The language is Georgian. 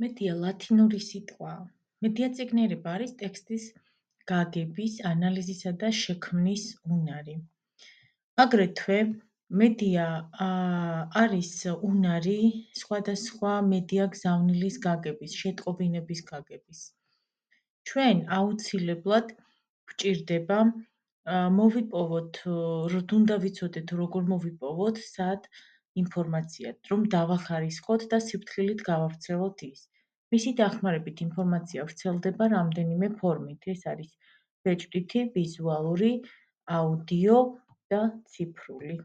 მედია ლათინური სიტყვაა. მედიაწიგნიერება არის ტექსტის გაგების, ანალიზისა და შექმნის უნარი. აგრეთვე მედია არის უნარი სხვადასხვა მედია გზავნილის გაგების, შეტყობინების გაგების. ჩვენ აუცილებლად გვჭირდება მოვიპოვოთ, უნდა ვიცოდეთ როგორ მოვიპოვოთ სად ინფორმაცია, რომ დავახარისხოთ და სიფრთხილით გავავრცელოთ ის. მისი დახმარებით ინფორმაცია ვრცელდება რამდენიმე ფორმით. ეს არის ბეჭდვითი, ვიზუალური, აუდიო და ციფრული.